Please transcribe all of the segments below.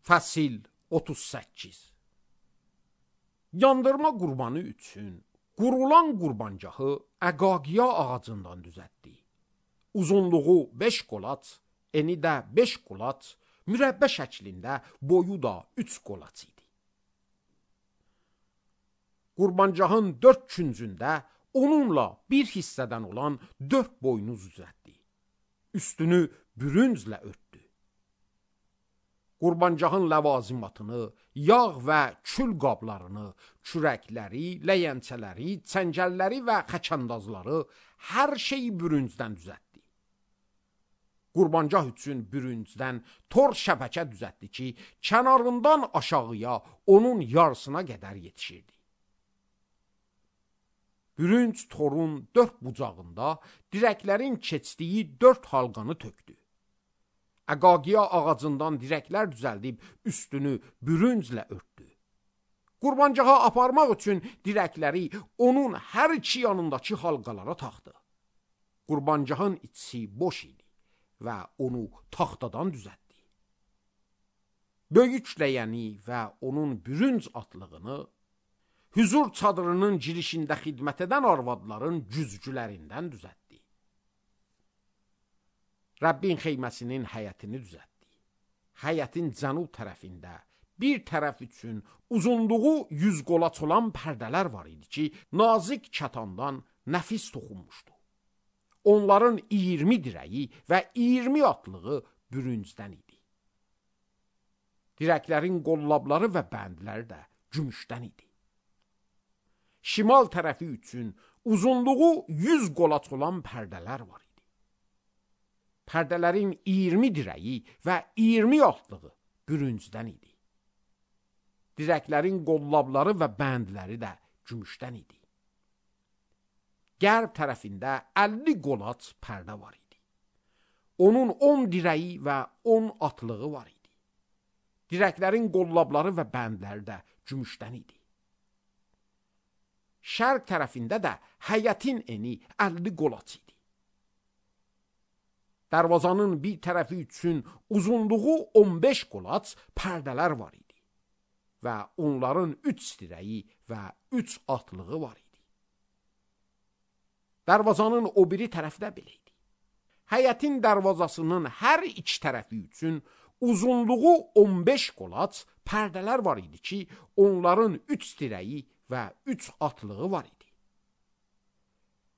Fəsil 38. Yandırma qurbanı üçün qurulan qurbancahı əqaqiya ağacından düzəltdi. Uzunluğu 5 qolaç, eni də 5 qolaç, mürəbbə şəklində, boyu da 3 qolaç idi. Qurbancahın 4 küncündə onunla bir hissədən olan 4 boynuz düzəltdi. Üstünü bürünclə örtdü. Qurbancahın ləvazimatını, yağ və kül qablarını, kürəkləri, ləyəncələri, çəngəlləri və xəkəndazları hər şeyi bürüncdən düzəltdi. Qurbancah üçün bürüncdən tor şəbəkə düzəltdi ki, kənarından aşağıya onun yarısına qədər yetişirdi. Bürünc torun 4 bucağında dirəklərin keçdiyi 4 halqanı tökdü. Əqaqiya ağacından dirəklər düzəldib üstünü bürünclə örtdü. Qurbancaha aparmaq üçün dirəkləri onun hər iki yanındakı halqalara taxdı. Qurbancahın içi boş idi və onu taxtadan düzəltdi. Böyük ləyəni və onun bürünc atlığını hüzur çadırının girişində xidmət edən arvadların güzgülərindən düzəltdi. Rəbbin xeyməsinin həyətini düzəltdi. Həyətin cənub tərəfində bir tərəf üçün uzunluğu 100 qolaç olan pərdələr var idi ki, nazik kətandan nəfis toxunmuşdu. Onların 20 dirəyi və 20 atlığı bürüncdən idi. Dirəklərin qollabları və bəndləri də gümüşdən idi. Şimal tərəfi üçün uzunluğu 100 qolaç olan pərdələr var idi. Pərdələrin 20 dirəyi və 20 atlığı bürüncdən idi. Dirəklərin qollabları və bəndləri də gümüşdən idi. Qərb tərəfində 50 qolaç pərdə var idi. Onun 10 dirəyi və 10 atlığı var idi. Dirəklərin qollabları və bəndləri də gümüşdən idi. Şərq tərəfində də həyətin eni 50 qolaç idi. Darvazanın bir tərəfi üçün uzunluğu 15 qolaç pərdələr var idi və onların 3 dirəyi və 3 atlığı var idi. Darvazanın o biri tərəfi də belə idi. Həyətin darvazasının hər iki tərəfi üçün uzunluğu 15 qolaç pərdələr var idi ki, onların 3 dirəyi və 3 atlığı var idi.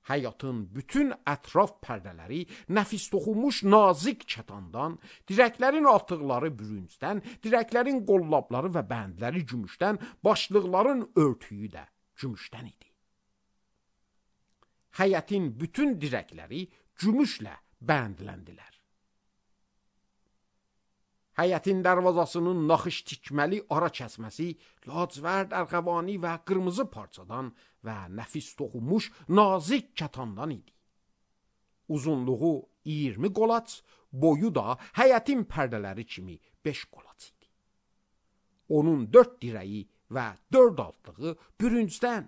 Həyatın bütün ətraf pərdələri nəfis toxunmuş nazik kətandan, dirəklərin altıqları bürüncdən, dirəklərin qollabları və bəndləri gümüşdən, başlıqların örtüyü də gümüşdən idi. Həyətin bütün dirəkləri gümüşlə bəndləndilər. Həyətin darvazasının naxış tikməli ara kəsməsi lacivərd, ərğəvani və qırmızı parçadan və nəfis toxunmuş nazik kətandan idi. Uzunluğu 20 qolaç, boyu da həyətin pərdələri kimi 5 qolaç idi. Onun 4 dirəyi və 4 altlığı bürüncdən,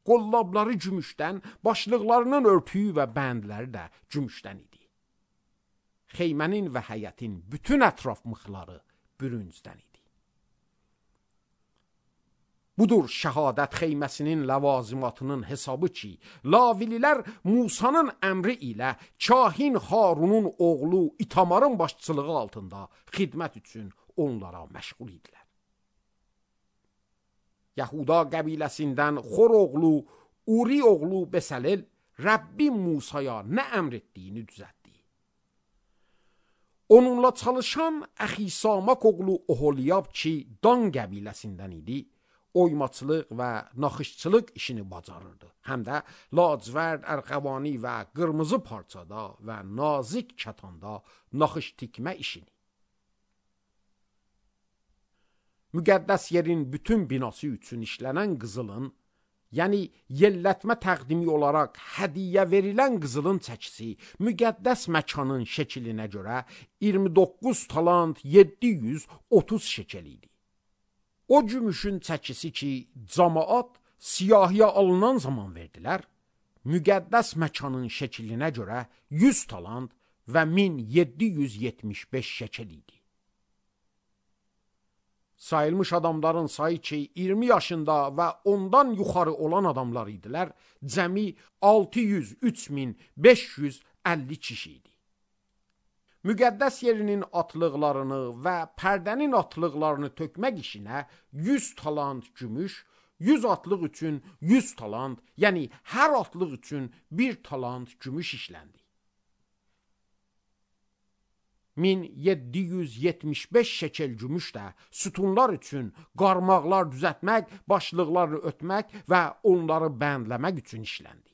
qollabları gümüşdən, başlıqlarının örtüyü və bəndləri də gümüşdən idi. Xeymənin və həyətin bütün ətraf mıxları bürüncdən idi. Budur şəhadət xeyməsinin ləvazimatının hesabı ki, Lavililər Musanın əmri ilə kahin Harunun oğlu İtamarın başçılığı altında xidmət üçün onlara məşğul idilər. Yahuda qəbiləsindən Xor oğlu, Uri oğlu Besalel Rəbbin Musaya nə əmr etdiyini düzəltdi. Onunla çalışan Əxisamak oğlu Oholiyab ki, Dan qəbiləsindən idi, oymaçılıq və naxışçılıq işini bacarırdı. Həm də lacivərd, ərğəvani və qırmızı parçada və nazik kətanda naxış tikmə işini. Müqəddəs yerin bütün binası üçün işlənən qızılın, yəni yellətmə təqdimi olaraq hədiyyə verilən qızılın çəkisi müqəddəs məkanın şəkilinə görə 29 talant 730 şekel idi. O gümüşün çəkisi ki, camaat siyahıya alınan zaman verdilər, müqəddəs məkanın şəkilinə görə 100 talant və 1775 şekel idi. Sayılmış adamların sayı ki 20 yaşında ve ondan yuxarı olan adamlar idilər, cəmi 603.550 kişi idi. Müqəddəs yerinin atlıqlarını və pərdənin atlıqlarını tökmək işinə 100 talant gümüş, 100 atlıq üçün 100 talant, yəni hər atlıq üçün 1 talant gümüş işləndi. 1775 şekel gümüş də sütunlar üçün qarmaqlar düzəltmək, başlıqları ötmək və onları bəndləmək üçün işləndi.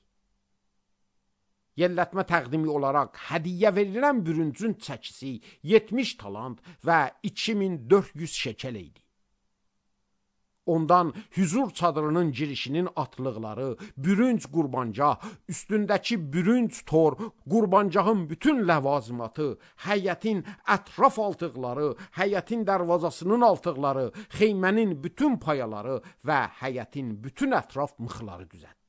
Yellətmə təqdimi olaraq hədiyyə verilən bürüncün çəkisi 70 talant və 2400 şekel idi. Ondan hüzur çadırının girişinin atlıqları, bürünc qurbancaq, üstündəki bürünc tor, qurbancağın bütün ləvazimatı, həyətin ətraf altıqları, həyətin dərvazasının altıqları, xeymənin bütün payaları və həyətin bütün ətraf mıxları düzəltdi.